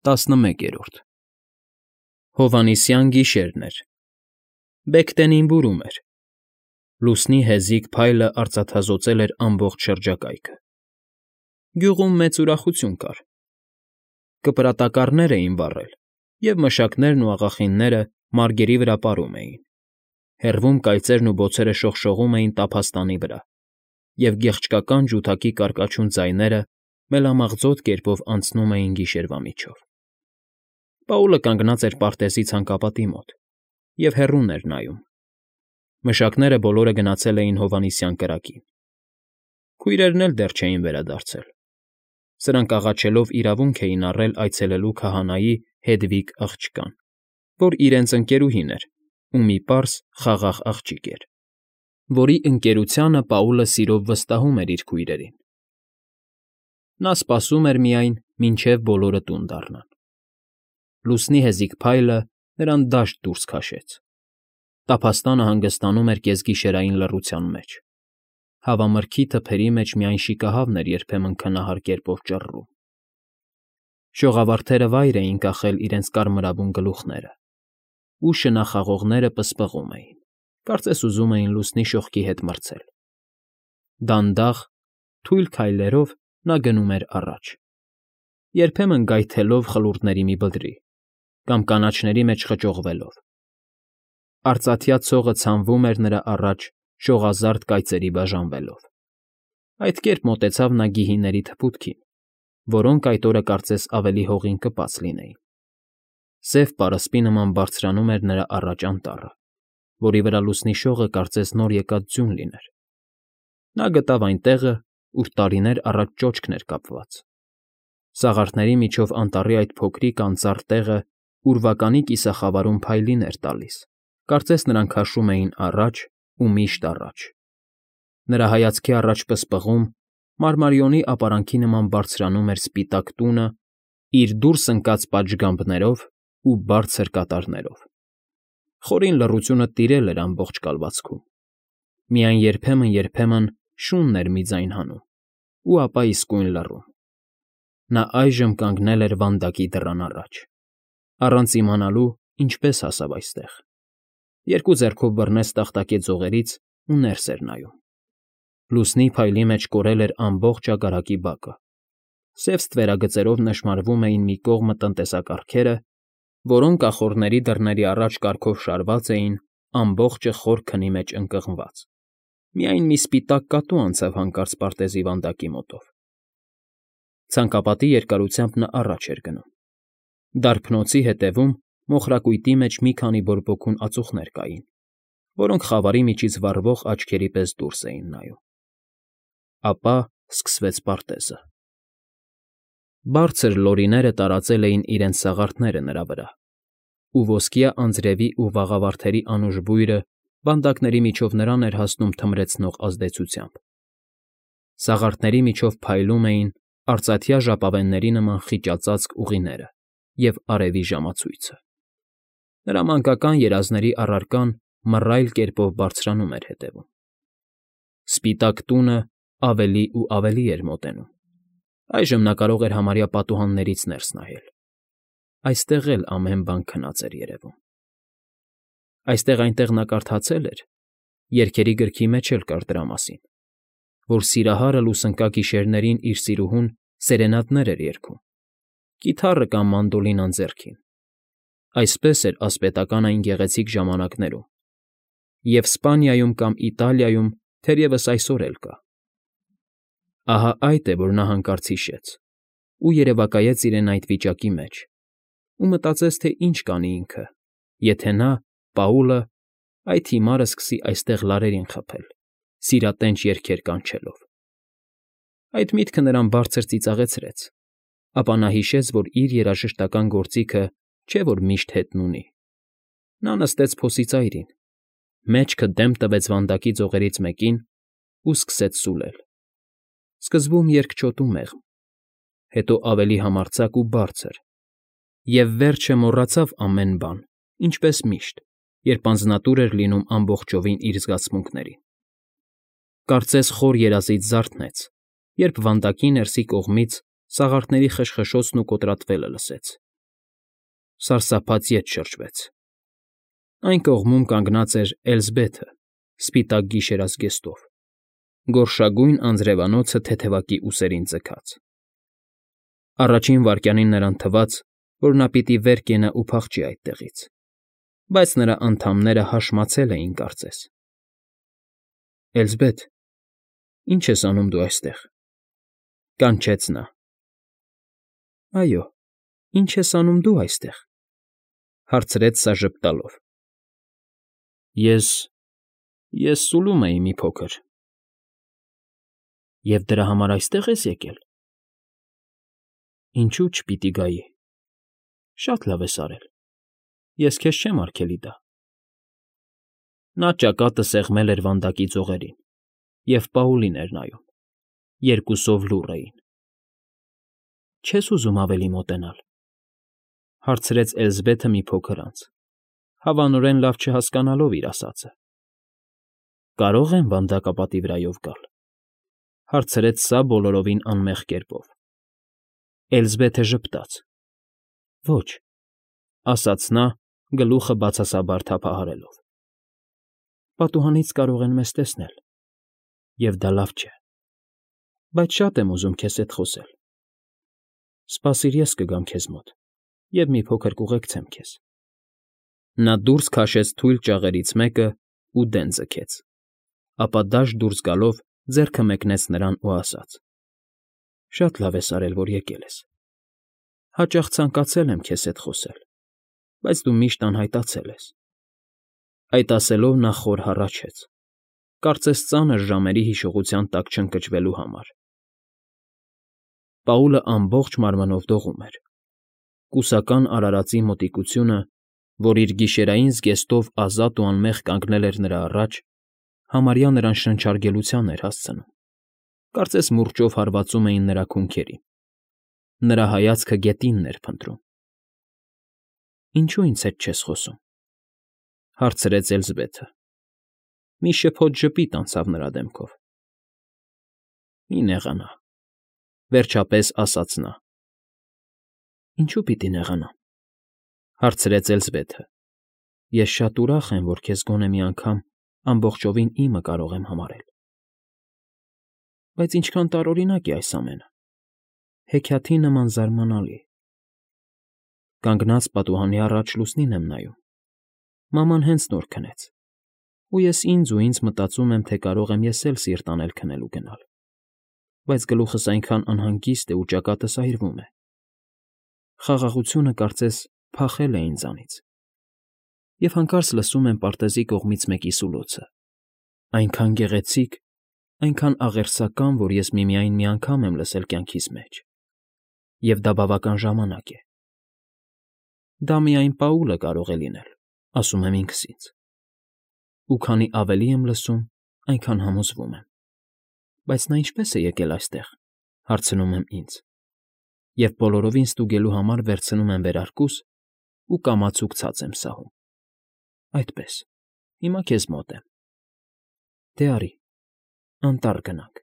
11 Հովհաննիսյան գիշերն էր։ Բեգտենին բուրում էր։ Լուսնի հեզիկ փայլը արծաթազօծել էր ամբողջ շրջակայքը։ Գյուղում մեծ ուրախություն կար։ Կպրատակառներ էին վառել, և մշակներն ու աղախինները մարգերի վրա պարում էին։ Հեռվում կայծերն ու բոցերը շողշողում էին տափաստանի վրա, և գեղչկական ջութակի կարկաչուն ձայները մելամաղձոտ կերպով անցնում էին գիշերվա միջով։ Պաուլը կանգնած էր պարտեզի ցանկապատի մոտ և հեռուն էր նայում։ Մշակները բոլորը գնացել էին Հովհաննիսյան կրակին։ Քույրերն էլ դեռ չէին վերադարձել։ Սրանք աղաչելով իրավունք էին առել այցելելու քահանայի Հեդվիգ աղջկան, որ իրենց ընկերուհին էր ու մի պարզ, խաղաղ աղջիկ էր, որի ընկերությանը Պաուլը սիրով վստահում էր իր քույրերին։ Նա սպասում էր միայն, մինչև բոլորը տուն դառնան։ Լուսնի հեզիկ փայլը նրան դաշտ դուրս քաշեց։ Տափաստանը հանգստանում էր կեսգիշերային լռության մեջ։ Հավամրգի թփերի մեջ միայն շիկահավն էր երբեմն քնահար կերպով ճռռում։ Շողավարդերը վայր էին կախել իրենց կարմրավուն գլուխները, ու շնախաղողները պսպղում էին, կարծես ուզում էին լուսնի շողքի հետ մրցել։ Դանդաղ, թույլ քայլերով նա գնում էր առաջ, երբեմն գայթելով խլուրդների մի բլրի կամ կանաչների մեջ խճողվելով։ Արծաթյա ցողը ցանվում էր նրա առաջ շողազարդ կայծերի բաժանվելով։ Այդ կերպ մոտեցավ նա գիհիների թփուտքին, որոնք այդ օրը կարծես ավելի հողին կպած լինեին։ Սև պարսպի նման բարձրանում էր նրա առաջ անտառը, որի վրա լուսնի շողը կարծես նոր եկած ձյուն լիներ։ Նա գտավ այն տեղը, ուր տարիներ առաջ ճոճքն էր կապված։ Սաղարթների միջով անտառի այդ փոքրիկ անծառ տեղը ուրվականի կիսախավարում փայլին էր տալիս, կարծես նրանք քաշում էին առաջ ու միշտ առաջ։ Նրա հայացքի առաջ պսպղում, մարմարիոնի ապարանքի նման բարձրանում էր սպիտակ տունը իր դուրս ընկած պատշգամբներով ու բարձր կատարներով։ Խորին լռությունը տիրել էր ամբողջ կալվածքում։ Միայն երբեմն շունն էր մի ձայն հանում, ու ապա իսկույն լռում։ Նա այժմ կանգնել էր վանդակի դռան առաջ, առանց իմանալու ինչպես հասավ այստեղ։ Երկու ձեռքով բռնեց տախտակե ձողերից ու ներս էր նայում։ Լուսնի փայլի մեջ կորել էր ամբողջ ագարակի բակը։ Սև ստվերագծերով նշմարվում էին մի կողմը տնտեսակարգերը, որոնք ախոռների դռների առաջ կարգով շարված էին, ամբողջը խոր քնի մեջ ընկղմված։ Միայն մի սպիտակ կատու անցավ հանկարծ պարտեզի վանդակի մոտով։ Ցանկապատի երկարությամբ նա առաջ էր գնում։ Դարբնոցի հետևում մոխրակույտի մեջ մի քանի բորբոքուն ածուխներ կային, որոնք խավարի միջից վառվող աչքերի պես դուրս էին նայում։ Ապա սկսվեց պարտեզը։ Բարձր լորիները տարածել էին իրենց սաղարթները նրա վրա, ու ոսկյա անձրևի ու վաղավարդերի անուշ բույրը վանդակների միջով նրան էր հասնում թմրեցնող ազդեցությամբ։ Սաղարթների միջով փայլում էին արծաթյա ժապավենների նման խիճածածկ ուղիները և արևի ժամացույցը։ Նրա մանկական երազների առարկան մռայլ կերպով բարձրանում էր հետևում։ Սպիտակ տունը ավելի ու ավելի էր մոտենում։ Այժմ նա կարող էր համարյա պատուհաններից ներս նայել։ Այստեղ էլ ամեն բան քնած էր երևում։ Այստեղ֊այնտեղ նա կարդացել էր, երգերի գրքի մեջ էլ կար դրա մասին, որ սիրահարը լուսնկա գիշերներին իր սիրուհուն սերենադներ էր երգում, կիթառը կամ մանդոլինան ձեռքին։ Այսպես էր ասպետական այն գեղեցիկ ժամանակներում, և Սպանիայում կամ Իտալիայում թերևս այսօր էլ կա։ Ահա այդ է, որ նա հանկարծ հիշեց ու երևակայեց իրեն այդ վիճակի մեջ ու մտածեց, թե ինչ կանի ինքը, եթե նա, Պաուլը, այդ հիմարը սկսի այստեղ լարերին խփել, սիրատենչ երգեր կանչելով։ Այդ միտքը նրան բարձր ծիծաղեցրեց, ապա նա հիշեց, որ իր երաժշտական գործիքը չէ որ միշտ հետն ունի։ Նա նստեց փոսի ծայրին, մեջքը դեմ տվեց վանդակի ձողերից մեկին ու սկսեց սուլել։ Սկզբում երկչոտ ու մեղմ, հետո ավելի համարձակ ու բարձր, և վերջը մոռացավ ամեն բան, ինչպես միշտ, երբ անձնատուր էր լինում ամբողջովին իր զգացմունքներին։ Կարծես խոր երազից զարթնեց, երբ վանդակի ներսի կողմից սաղարթների խշխշոցն ու կոտրատվելը լսեց, Սարսափած ետ շրջվեց։ Այն կողմում կանգնած էր Էլզբեթը, սպիտակ գիշերազգեստով, գորշագույն անձրևանոցը թեթևակի ուսերին ձգած։ Առաջին վայրկյանին նրան թվաց, որ նա պիտի վեր կենա ու փախչի այդտեղից, բայց նրա անդամները հաշմացել էին կարծես։ Էլզբեթ, ի՞նչ ես անում դու այստեղ,֊ կանչեց նա։ Այո, ի՞նչ ես անում դու այստեղ,֊ հարցրեց սա ժպտալով։ Ես սուլում էի մի փոքր։ Եվ դրա համար այստեղ ես եկել։ Ինչու՞ չպիտի գայի։ Շատ լավ ես արել։ Ես քեզ չեմ արգելի դա։ Նա ճակատը սեղմել էր վանդակի ձողերին, և Պաուլին էր նայում, երկուսով լուռ էին։ Չե՞ս ուզում ավելի մոտենալ,֊ հարցրեց Էլզբեթը մի փոքր անց, հավանորեն լավ չհասկանալով իր ասածը։ Կարո՞ղ եմ վանդակապատի վրայով գալ,֊ հարցրեց սա բոլորովին անմեղ կերպով։ Էլզբեթը ժպտաց։ Ոչ,֊ ասաց նա, գլուխը բացասաբար թափահարելով։ Պատուհանից կարող են մեզ տեսնել, և դա լավ չէ, բայց շատ եմ ուզում քեզ հետ խոսել։ Սպասիր, ես կգամ քեզ մոտ և մի փոքր կուղեկցեմ քեզ։ Նա դուրս քաշեց թույլ ճաղերից մեկը ու դեն ձգեց, ապա դաշտ դուրս գալով ձեռքը մեկնեց նրան ու ասաց. Շատ լավ ես արել, որ եկել ես։ Հաճախ ցանկացել եմ քեզ հետ խոսել, բայց դու միշտ անհայտացել ես։ Այդ ասելով նա խոր հառաչեց, կարծես ծանր ժամերի հիշողության տակ չընկճվելու համար։ Պաուլը ամբողջ մարմնով դողում էր։ Կուսական արարածի մոտիկությունը, որ իր գիշերային զգեստով ազատ ու անմեղ կանգնել էր նրա առաջ, համարյա նրան շնչարգելության էր հասցնում, կարծես մուրճով հարվածում էին նրա քունքերին։ Նրա հայացքը գետինն էր փնտրում։ Ինչո՞ւ ինձ հետ չես խոսում,֊ հարցրեց Էլզբեթը։ Մի շփոթ ժպիտ անցավ նրա դեմքով։ Մի նեղանա,֊ վերջապես ասաց նա։ Ինչու՞ պիտի նեղանամ,֊ հարցրեց Էլզբեթը։ Ես շատ ուրախ եմ, որ քեզ գոնե մի անգամ ամբողջովին իմը կարող եմ համարել։ Բայց ինչքան տարօրինակ է այս ամենը, հեքիաթի նման զարմանալի։ Կանգնած պատուհանի առաջ լուսնին եմ նայում։ Մաման հենց նոր քնեց, ու ես ինձ մտածում եմ, թե կարող եմ ես էլ սիրտ անել քնել ու գնալ, բայց գլուխս այնքան անհանգիստ է ու ճակատս այրվում է։ Խաղաղությունը կարծես փախել է ինձանից։ Եվ հանկարծ լսում եմ պարտեզի կողմից մեկի սուլոցը, այնքան գեղեցիկ, այնքան աղերսական, որ ես միմիայն մի անգամ եմ լսել կյանքիս մեջ, և դա բավական ժամանակ է։ Դա միայն Պաուլը կարող է լինել, ասում եմ ինքս ինձ։ Ու քանի ավելի եմ լսում, այնքան համոզվում եմ։ Բայց նա ինչպե՞ս է եկել այստեղ,֊ հարցնում եմ ինձ, և բոլորովին ստուգելու համար վերցնում եմ վերարկուս ու կամացուկ ցած եմ սահում։ Այդպես, հիմա քեզ մոտ եմ։ Դե արի, անտառ գնանք,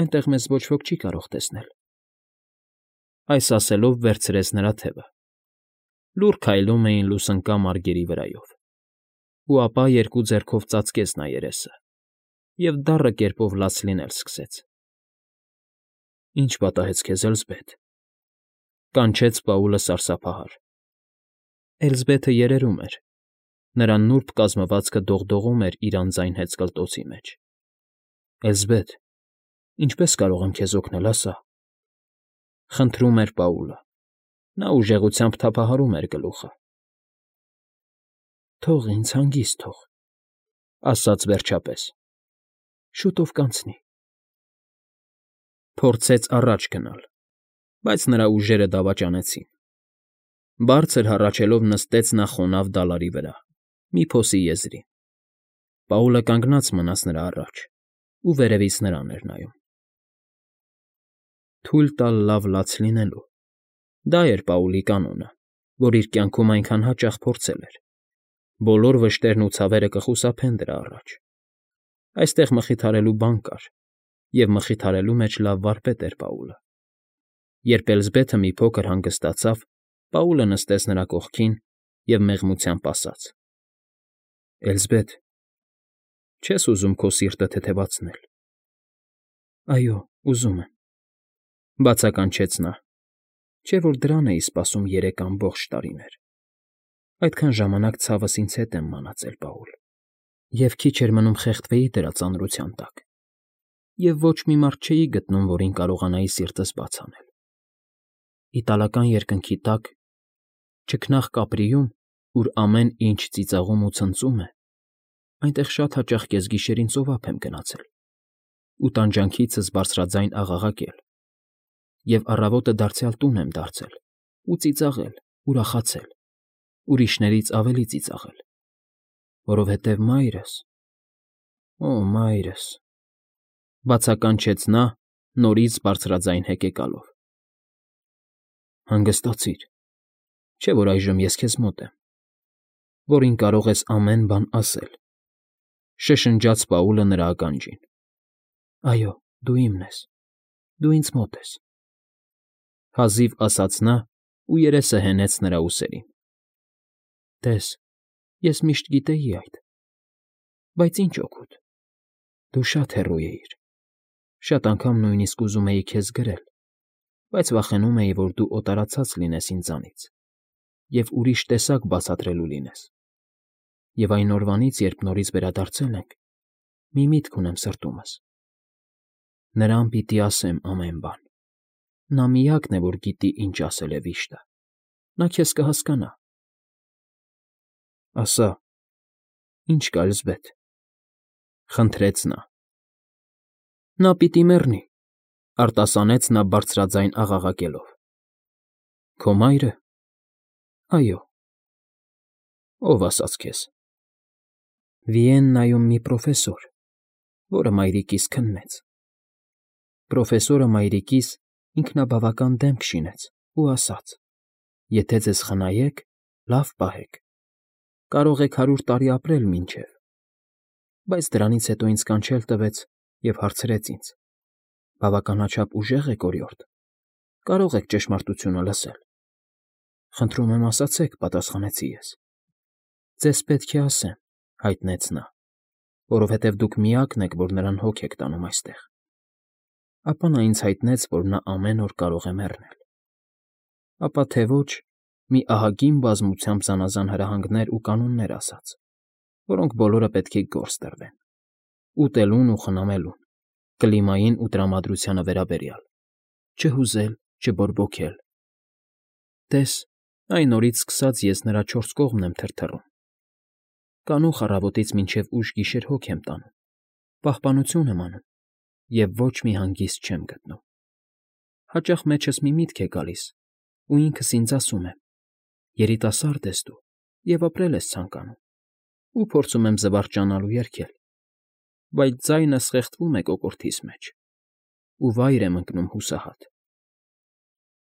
այնտեղ մեզ ոչ ոք չի կարող տեսնել։ Այս ասելով վերցրեց նրա թևը։ Լուռ քայլում էին լուսնկա մարգերի վրայով։ Ու ապա երկու ձեռքով ծածկեց նա երեսը և դառը կերպով լաց լինել սկսեց։ Ինչ պատահեց քեզ, Էլզբեթ,֊ կանչեց Պաուլը սարսափահար։ Էլզբեթը երերում էր։ Նրա նուրբ կազմվածքը դողդողում էր իր անձայն հեծկլտոցի մեջ։ Էլզբեթ, ինչպե՞ս կարող եմ քեզ օգնել, ասա,֊ խնդրում էր Պաուլը։ Նա ուժեղությամբ թափահարում էր գլուխը։ Թող ինձ, հանգիստ թող,֊ ասաց վերջապես։ Շուտով կանցնի։ Փորձեց առաջ գնալ, բայց նրա ուժերը դավաճանեցին։ Բարձր հառաչելով նստեց նա խոնավ դալարի վրա, մի փոսի եզրին։ Պաուլը կանգնած մնաց նրա առաջ ու վերևից նրան էր նայում։ Թույլ տալ լավ լաց լինելու։ Դա էր Պաուլի կանոնը, որ իր կյանքում այնքան հաճախ փորձել էր։ Բոլոր վշտերն ու ցավերը կխուսափեն դրա առաջ։ Այստեղ մխիթարելու բան կար, և մխիթարելու մեջ լավ վարպետ էր Պաուլը։ Երբ Էլզբեթը մի փոքր հանգստացավ, Պաուլը նստեց նրա կողքին և մեղմությամբ ասաց. ֊ Էլզբեթ, չես ուզում քո սիրտը թեթևացնել։ ֊ Այո, ուզում եմ,֊ բացականչեց նա, չէ՞ որ դրան էի սպասում 3 ամբողջ տարիներ։ Այդքան ժամանակ ցավս ինձ հետ եմ մնացել, Պաուլ, և քիչ էր մնում խեղդվեի դրա ծանրության տակ, և ոչ մի մարդ չէի գտնում, որին կարողանայի սիրտս բաց անել։ Իտալական երկնքի տակ, չքնաղ Կապրիում, ուր ամեն ինչ ծիծաղում ու ցնծում է, այնտեղ շատ հաճախ կեսգիշերին ծովափ եմ գնացել ու տանջանքիցս բարձրաձայն աղաղակել, և առավոտը դարձյալ տուն եմ դարձել ու ծիծաղել, ուրախացել, ուրիշներից ավելի ծիծաղել, որովհետև մայրս… Օ, մայրս… Բացականչեց նա, նորից բարձրաձայն հեկեկալով։ Հանգստացիր, չէ՞ որ այժմ ես քեզ մոտ եմ, որին կարող ես ամեն բան ասել,֊ շշնջաց Պաուլը նրա ականջին։ Այո, դու իմն ես, դու ինձ մոտ ես,֊ հազիվ ասաց նա ու երեսը հենեց նրա ուսերին։ Տես, ես միշտ գիտեի այդ, բայց ինչ օգուտ, դու շատ հեռու էիր, շատ անգամ նույնիսկ ուզում էի քեզ գրել, բայց վախենում էի, որ դու օտարացած լինես ինձանից և ուրիշ տեսակ բացատրելու լինես։ Եվ այն օրվանից, երբ նորից վերադարձել ենք, մի միտք ունեմ սրտումս. նրան պիտի ասեմ ամեն բան։ Նա միակն է, որ գիտի, ինչ ասել է վիշտը, նա քեզ կհասկանա։ Ասա, ի՞նչ կա, Էլզբեթ,֊ խնդրեց նա։ Նա պիտի մեռնի,֊ արտասանեց նա բարձրաձայն աղաղակելով։ Քո մայրը… Այո։ Ո՞վ ասաց քեզ։ Վիեննայում մի պրոֆեսոր, որը մայրիկիս քննեց։ Պրոֆեսորը մայրիկիս ինքնաբավական դեմք շինեց ու ասաց. եթե ձեզ խնայեք, լավ պահեք, կարող եք 100 տարի ապրել մինչև… Բայց դրանից հետո ինձ կանչել տվեց և հարցրեց ինձ. բավականաչափ ուժեղ եք, օրիորդ, կարող եք ճշմարտությունը լսել։ Խնդրում եմ, ասացեք,֊ պատասխանեցի ես։ Ձեզ պետք է ասեմ,֊ հայտնեց նա, որովհետև դուք միակն եք, որ նրան հոգ եք տանում այստեղ։ Ապա նա ինձ հայտնեց, որ նա ամեն օր կարող է մեռնել։ Ապա թե ոչ, մի ահագին բազմությամբ զանազան հրահանգներ ու կանոններ ասաց, որոնք բոլորը պետք է գործ տրվեն՝ ուտելուն ու խնամելուն, կլիմային ու տրամադրությանը վերաբերյալ, չհուզել, չբորբոքել։ Տես, այն օրից սկսած ես նրա 4 կողմն եմ թրթռում։ Կանուխ առավոտից մինչև ուշ գիշեր հոգ եմ տանում, պահպանություն եմ անում և ոչ մի հանգիստ չեմ գտնում։ Հաճախ մեջս մի միտք է գալիս, ու ինքս ինձ ասում եմ. երիտասարդ ես դու և ապրել ես ցանկանում, ու փորձում եմ զվարճանալ ու երգել, բայց ձայնս խեղդվում է կոկորդիս մեջ, ու վայր եմ ընկնում հուսահատ։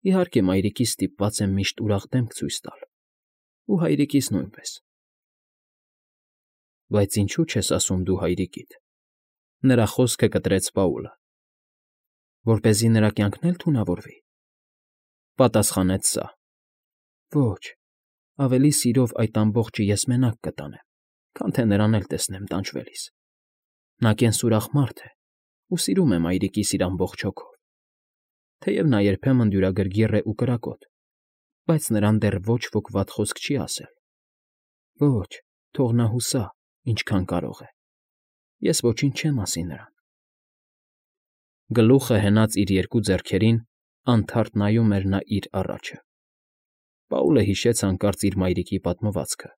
Իհարկե, մայրիկիս ստիպված եմ միշտ ուրախ դեմք ցույց տալ, ու հայրիկիս նույնպես։ Բայց ինչո՞ւ չես ասում դու հայրիկիդ,֊ նրա խոսքը կտրեց Պաուլը։ Որպեսզի նրա կյանքն էլ թունավորվի,֊ պատասխանեց սա։ Ոչ, ավելի սիրով այդ ամբողջը ես մենակ կտանեմ, քան թե նրան էլ տեսնեմ տանջվելիս։ Նա կենսուրախ մարդ է ու սիրում է մայրիկիս իր ամբողջ հոգով, թեև նա երբեմն դյուրագրգիռ է ու կրակոտ, բայց նրան դեռ ոչ ոք վատ խոսք չի ասել։ Ոչ, թող նա հուսա, ինչքան կարող է, ես ոչինչ չեմ ասի նրան։ Գլուխը հենած իր 2 ձեռքերին, անթարթ նայում էր նա իր առաջը։ Պաուլը հիշեց հանկարծ իր մայրիկի պատմվածքը։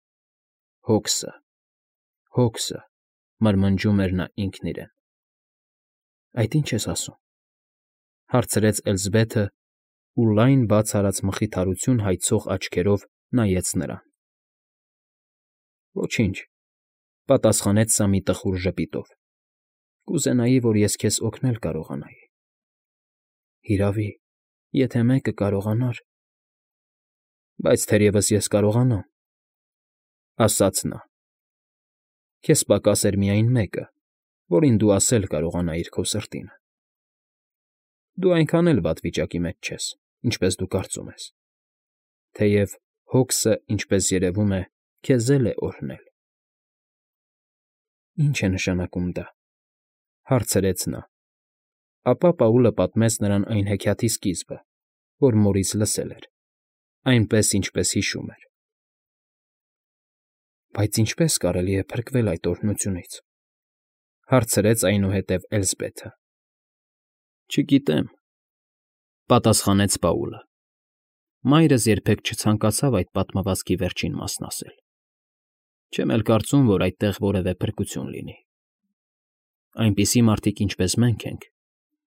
Հոգսը, հոգսը, մրմնջում էր նա ինքն իրեն։ Այդ ի՞նչ ես ասում,֊ հարցրեց Էլզբեթը ու լայն բաց արած մխիթարություն հայցող աչքերով նայեց նրան։ Ոչինչ,֊ պատասխանեց սա մի տխուր ժպիտով։ Կուզենայի, որ ես քեզ օգնել կարողանայի։ Հիրավի, եթե մեկը կարողանար… Բայց թերևս ես կարողանամ,֊ ասաց նա։ Քեզ պակաս էր միայն մեկը, որին դու ասել կարողանայիր քո սրտինը։ Դու այնքան էլ վատ վիճակի մեջ չես, ինչպես դու կարծում ես։ թեև հոգսը, ինչպես երևում է, քեզ էլ է օրհնել։ ֊ Ի՞նչ է նշանակում դա,֊ հարցրեց նա։ Ապա Պաուլը պատմեց նրան այն հեքիաթի սկիզբը, որ մորից լսել էր, այնպես, ինչպես հիշում էր։ ֊ Բայց ինչպե՞ս կարելի է փրկվել այդ օրհնությունից,֊ հարցրեց այնուհետև Էլզբեթը։ ֊ Չգիտեմ,֊ պատասխանեց Պաուլը։ Մայրս երբեք չցանկացավ այդ պատմվածքի վերջին մասն ասել։ Չեմ էլ կարծում, որ այդտեղ որևէ փրկություն լինի։ Այնպիսի մարդիկ, ինչպես մենք ենք,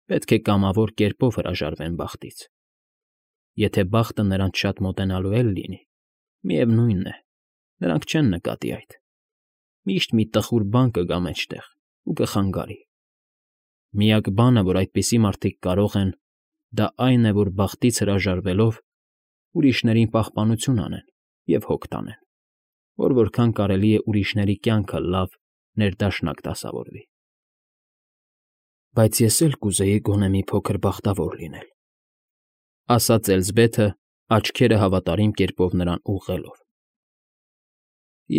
պետք է կամավոր կերպով հրաժարվեն բախտից։ Եթե բախտը նրանց շատ մոտենալու էլ լինի, միևնույն է, նրանք չեն նկատի այդ։ Միշտ մի տխուր բան կգա մեջտեղ ու կխանգարի։ Միակ բանը, որ այդպիսի մարդիկ կարող են, դա այն է, որ բախտից հրաժարվելով ուրիշներին պահպանություն անեն և հոգ տանեն, որ որքան կարելի է ուրիշների կյանքը լավ ներդաշնակ դասավորվի։ Բայց ես էլ կուզեի գոնե մի փոքր բախտավոր լինել,֊ ասաց Էլզբեթը, աչքերը հավատարիմ կերպով նրան ուղղելով։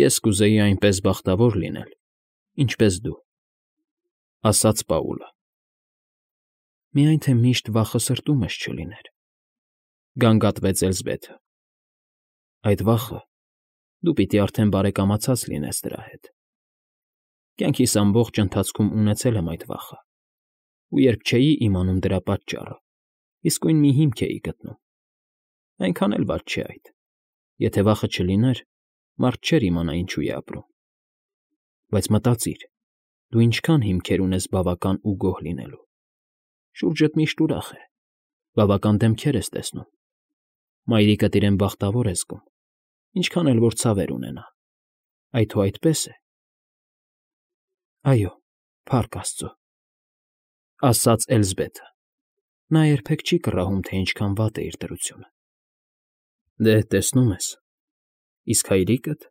Ես կուզեի այնպես բախտավոր լինել, ինչպես դու,֊ ասաց Պաուլը։ Միայն թե միշտ վախը սրտումս չլիներ,֊ գանգատվեց Էլզբեթը։ Այդ վախը դու պիտի արդեն բարեկամացած լինես դրա հետ։ Կյանքիս ամբողջ ընթացքում ունեցել եմ այդ վախը, ու երբ չէի իմանում դրա պատճառը, իսկույն մի հիմք էի գտնում։ Այնքան էլ վատ չէ այդ։ Եթե վախը չլիներ, մարդ չէր իմանա ինչու է ապրում։ Բայց մտածիր, դու ինչքան հիմքեր ունես բավական ու գոհ լինելու։ Շուրջդ միշտ ուրախ է, բավական դեմքեր ես տեսնում։ Մայրիկդ իրեն բախտավոր է զգում, ինչքան էլ որ ցավեր ունենա։ Այդ ու այդպես է։ Այո, փառք Աստծո,֊ ասաց Էլզբեթը։ Նա երբեք չի կռահում, թե ինչքան վատ է իր դրությունը։ Դե, տեսնում ես, իսկ հայրիկդ,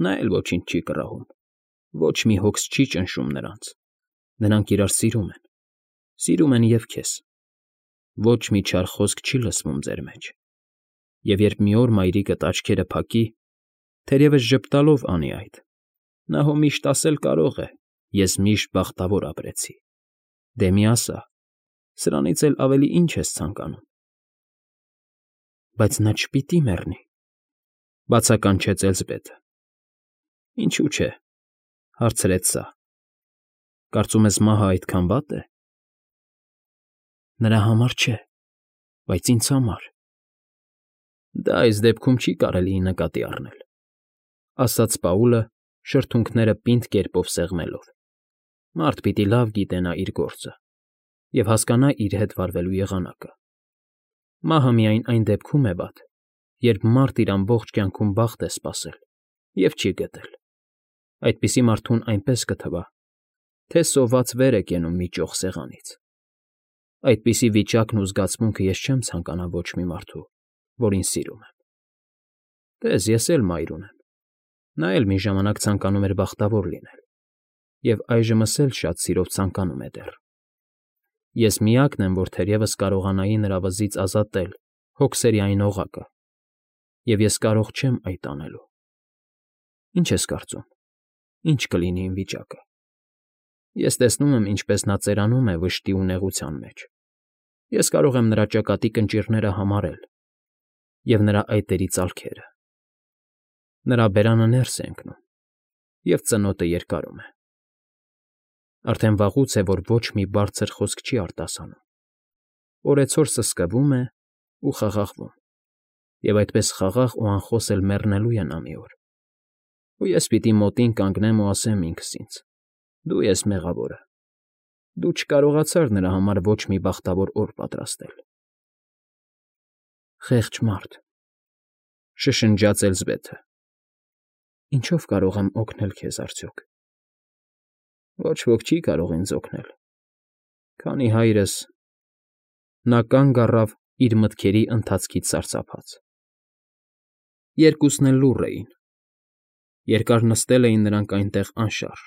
նա էլ ոչինչ չի կռահում, ոչ մի հոգս չի ճնշում նրանց։ Նրանք իրար սիրում են և քեզ։ Ոչ մի չար խոսք չի լսվում ձեր մեջ։ Եվ երբ մի օր մայրիկդ աչքերը փակի, թերևս ժպտալով անի այդ, նա հո միշտ ասել կարող է. ես միշտ բախտավոր ապրեցի։ Դե մի ասա, սրանից էլ ավելի ինչ ես ցանկանում։ Բայց նա չպիտի մեռնի,֊ բացականչեց Էլզբեթը։ Ինչու՞ չէ,֊ հարցրեց սա։ Կարծում ես մահը այդքան վատ է։ Նրա համար չէ, բայց ինձ համար։ Դա այս դեպքում չի կարելի նկատի առնել,֊ ասաց Պաուլը, շրթունքները պինդ կերպով սեղմելով։ Մարդ պիտի լավ գիտենա իր գործը և հասկանա իր հետ վարվելու եղանակը։ Մահը միայն այն դեպքում է վատ, երբ մարդ իր ամբողջ կյանքում բախտ է սպասել և չի գտել։ Այդպիսի մարդուն այնպես կթվա, թե սոված վեր է կենում մի ճոխ սեղանից։ Այդպիսի վիճակն ու զգացմունքը ես չեմ ցանկանա ոչ մի մարդու, որին սիրում եմ։ Տես, ես էլ մայր ունեմ։ Նա էլ մի ժամանակ ցանկանում էր բախտավոր լինել, և այժմս էլ շատ սիրով ցանկանում է դեռ։ Ես միակն եմ, որ թերևս կարողանայի նրա վզից ազատել հոգսերի այն օղակը, և ես կարող չեմ այդ անելու։ Ինչ ես կարծում, ինչ կլինի իմ վիճակը։ Ես տեսնում եմ, ինչպես նա ծերանում է վշտի ու նեղության մեջ։ Ես կարող եմ նրա ճակատի կնճիռները համարել և նրա այտերի ծալքերը։ Նրա բերանը ներս է ընկնում, և ծնոտը երկարում է։ Արդեն վաղուց է, որ ոչ մի բարձր խոսք չի արտասանում։ Օրեցօր սսկվում է ու խաղաղվում, և այդպես խաղաղ ու անխոս էլ մեռնելու է նա մի օր։ Ու ես պիտի մոտին կանգնեմ ու ասեմ ինքս ինձ. դու ես մեղավորը։ Դու չկարողացար նրա համար ոչ մի բախտավոր օր պատրաստել։ Խեղճ մարդ,֊ շշնջաց Էլզբեթը։ Ինչո՞վ կարող եմ օգնել քեզ արդյոք։ Ոչ ոք չի կարող ինձ օգնել, քանի հայրս… Նա կանգ առավ իր մտքերի ընթացքից սարսափած։ Երկուսն էլ լուռ էին։ Երկար նստել էին նրանք այնտեղ անշարժ,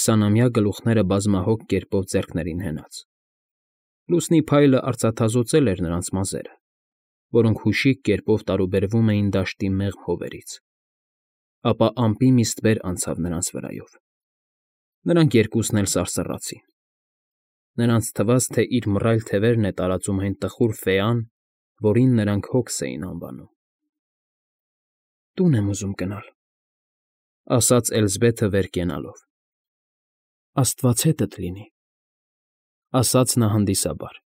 20-ամյա գլուխները բազմահոգ կերպով ձեռքներին հենած։ Լուսնի փայլը արծաթազօծել էր նրանց մազերը, որոնք հուշիկ կերպով տարուբերվում էին դաշտի մեղմ հովերից, ապա ամպի մի ստվեր անցավ նրանց վրայով։ Նրանք երկուսն էլ սարսռացին։ Նրանց թվաց, թե իր մռայլ թևերն է տարածում այն տխուր ֆեան, որին նրանք Հոգս էին անվանում։ «Տուն եմ ուզում գնալ», ֊ ասաց Էլզբեթը վեր կենալով։ «Աստված հետդ լինի», ֊ ասաց նա հանդիսաբար։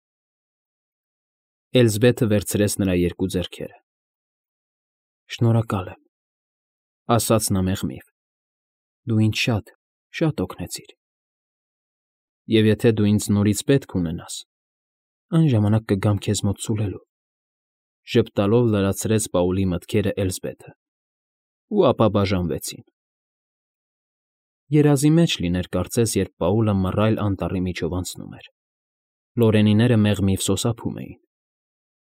Էլզբեթը վերցրեց նրա երկու ձեռքերը։ «Շնորհակալ եմ», ֊ ասաց նա մեղմիվ։ «Դու ինձ շատ օգնեցիր։ Եվ եթե դու ինձ նորից պետք ունենաս, այն ժամանակ կգամ քեզ մոտ սուլելու», ֊ ժպտալով լրացրեց Պաուլի մտքերը Էլզբեթը, ու ապա բաժանվեցին։ Երազի մեջ լիներ կարծես, երբ Պաուլը մռայլ անտառի միջով անցնում էր։ Լորենիները մեղմիվ սոսափում էին։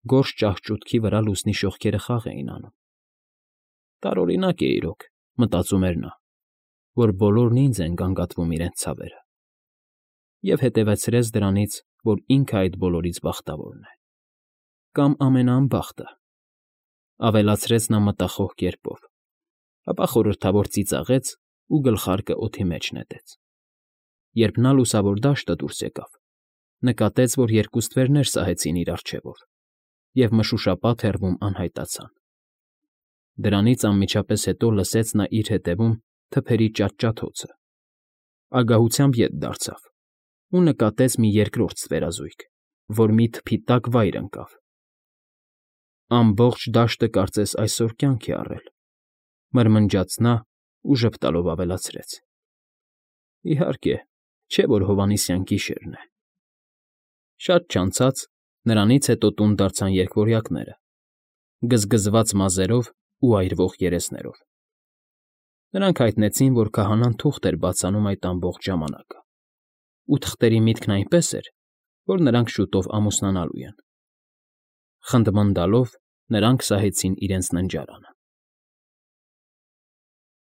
Գորշ ճահճուտքի վրա լուսնի շողքերը խաղ էին անում։ Տարօրինակ է իրոք, մտածում էր նա, որ բոլորն ինձ են գանգատվում իրենց ցավերը, և հետևեցրեց դրանից, որ ինքը այդ բոլորից բախտավորն է։ Կամ ամենաանբախտը, ավելացրեց նա մտախոհ կերպով, ապա խորհրդավոր ծիծաղեց ու գլխարկը օդի մեջ նետեց։ Երբ նա լուսավոր դաշտը դուրս եկավ, նկատեց, որ երկու ստվերներ սահեցին իր առջևով և մշուշապատ հեռվում անհայտացան։ Դրանից անմիջապես հետո լսեց նա իր ետևում թփերի ճաճաճոցը, ագահությամբ ետ դարձավ ու նկատեց մի երկրորդ ստվերազույգ, որ մի թփի տակ վայր ընկավ։ «Ամբողջ դաշտը կարծես այսօր կյանք է առել», ֊ մրմնջաց նա ու ժպտալով ավելացրեց. «Իհարկե, չէ՞ որ հովանիսյան գիշերն է»։ Շատ չանցած նրանից հետո տուն դարձան երկվորյակները՝ գզգզված մազերով ու այրվող երեսներով։ Նրանք հայտնեցին, որ քահանան թուղթ էր բացանում այդ ամբողջ ժամանակը, ու թղթերի միտքն այնպես էր, որ նրանք շուտով ամուսնանալու են։ Խնդմնդալով նրանք սահեցին իրենց ննջարանը։